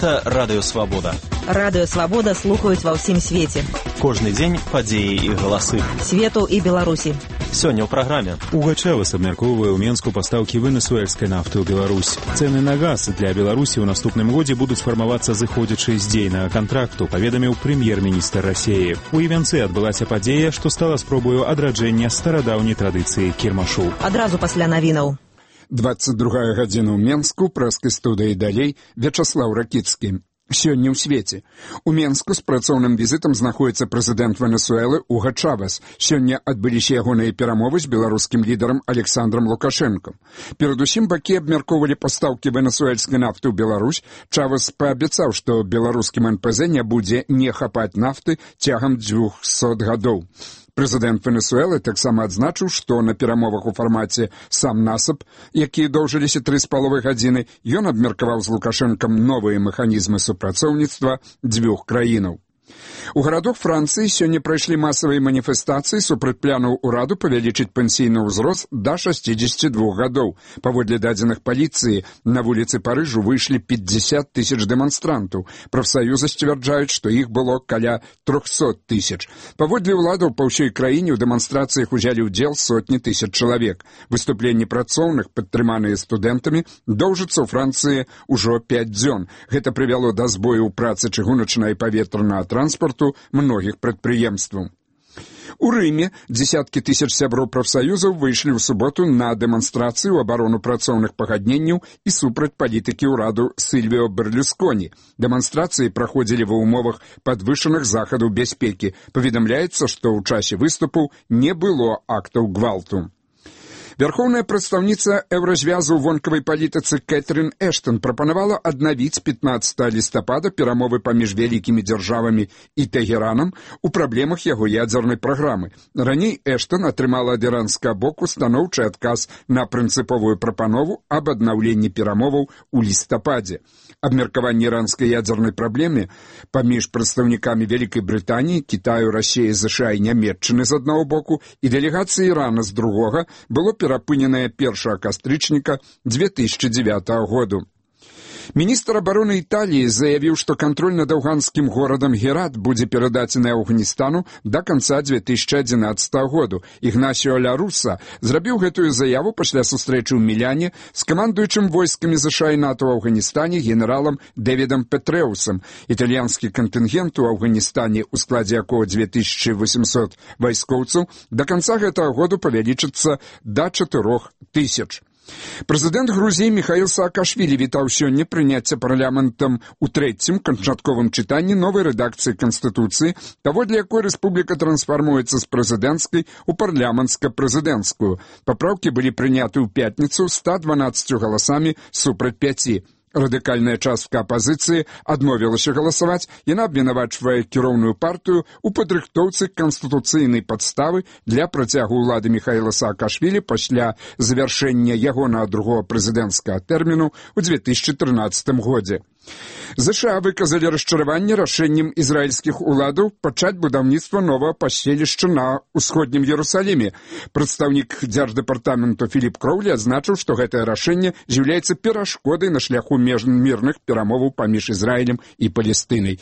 Гэта Радыё Свабода. Радыё Свабода слухаюць ва ўсім свеце. Кожны дзень падзеі і галасы. Свету і Беларусі. Сёння ў праграме. Угачавас абмяркоўвае ў Менску пастаўкі венесуэльскай нафты ў Беларусь. Цэны на газ для Беларусі ў наступным годзе будуць фармавацца зыходзячы з дзейнага кантракту, паведаміў прэм'ер-міністр Расіі. У Івенцы адбылася падзея, што стала спробаю адраджэння старадаўняй традыцыі кірмашу. Адразу пасля навінаў. 22 гадзіна ў Менску, прэскай студыі далей, Вячаслаў Ракіцкі. Сёння ў свеце. У Менску з працоўным візітам знаходзіцца прэзідэнт Венесуэлы Уга Чавес. Сёння адбыліся ягоныя перамовы з беларускім лідарам Александром Лукашэнкам. Перадусім бакі абмяркоўвалі пастаўкі венесуэльскай нафты ў Беларусь. Чавес паабяцаў, што беларускім НПЗ не будзе не хапаць нафты цягам 200 гадоў. Прэзідэнт Венесуэлы таксама адзначыў, што на перамовах у фармаце «Сам насып», якія доўжыліся 3,5 гадзіны, ён абмеркаваў з Лукашэнкам новыя механізмы супрацоўніцтва дзвюх краінаў. У гарадах Францыі сёння прайшлі масавыя маніфестацыі супраць планаў ураду павялічыць пенсійны ўзрост да 62 гадоў. Паводле дадзеных паліцыі, на вуліцы Парыжу выйшлі 50 тысяч дэманстрантаў. Прафсаюзы сцвярджаюць, што іх было каля 300 тысяч. Паводле ўладаў па ўсёй краіне ў дэманстрацыях узялі ўдзел сотні тысяч чалавек. Выступленні працоўных, падтрыманыя студэнтамі, доўжацца ў Францыі ўжо 5 дзён. Гэта прывяло да збою ў працы чыгуначнага і паветранага транспарту многіх прадпрыемстваў. У Рыме дзесяткі тысяч сяброў прафсаюзаў выйшлі ў суботу на дэманстрацыю ў абарону працоўных пагадненняў і супраць палітыкі ўраду Сільвіо Берлюсконі. Дэманстрацыі праходзілі ва ўмовах падвышаных захадаў бяспекі. Паведамляецца, што ў часе выступу не было актаў гвалту. Вярхоўная прадстаўніца еўразвязу ў вонкавай палітыцы Кэтрын Эштон прапанавала аднавіць 15 лістапада перамовы паміж вялікімі дзяржавамі і Тэгеранам у праблемах яго ядзернай праграмы. Раней Эштон атрымала ад іранскага боку станоўчы адказ на прынцыповую прапанову аб аднаўленні перамоваў у лістападзе. Абмеркаванне іранскай ядзернай праблемы паміж прадстаўнікамі Вялікай Брытаніі, Кітаю, Расіі, ЗША і Нямецчыны з аднаго боку і дэлегацыі Ірана з другога было перапыненае 1 кастрычніка 2009 году. Міністр абароны Італіі заявіў, што кантроль над афганскім горадам Герат будзе перададзены Афганістану да канца 2011 году. Ігнасіо Ля Руса зрабіў гэтую заяву пасля сустрэчы ў Міляне з камандуючым войскамі ЗША і НАТО ў Афганістане генералам Дэвідам Петрэусам. Італьянскі кантынгент у Афганістане, у складзе якога 2800 вайскоўцаў, да канца гэтага году павялічыцца да 4000. Прэзідэнт Грузіі Міхаіл Саакашвілі вітаў сёння прыняцце парламентам у трэцім канчатковым чытанні новай рэдакцыі Канстытуцыі, паводле якой рэспубліка трансфармуецца з прэзідэнцкай у парламенцка-прэзідэнцкую. Папраўкі былі прыняты ў пятніцу 112 галасамі супраць 5. Радыкальная частка апазіцыі адмовілася галасаваць, яна абвінавачвае кіроўную партыю ў падрыхтоўцы канстытуцыйнай падставы для працягу ўлады Міхаіла Саакашвілі пасля завяршэння ягонага другога прэзідэнцкага тэрміну ў 2013 годзе. ЗША выказалі расчараванне рашэннем ізраільскіх уладаў пачаць будаўніцтва новага паселішча на ўсходнім Ерусаліме. Прадстаўнік дзярждэпартаменту Філіп Кроўлі адзначыў, што гэтае рашэнне з'яўляецца перашкодай на шляху мірных перамоваў паміж Ізраілем і Палестынай.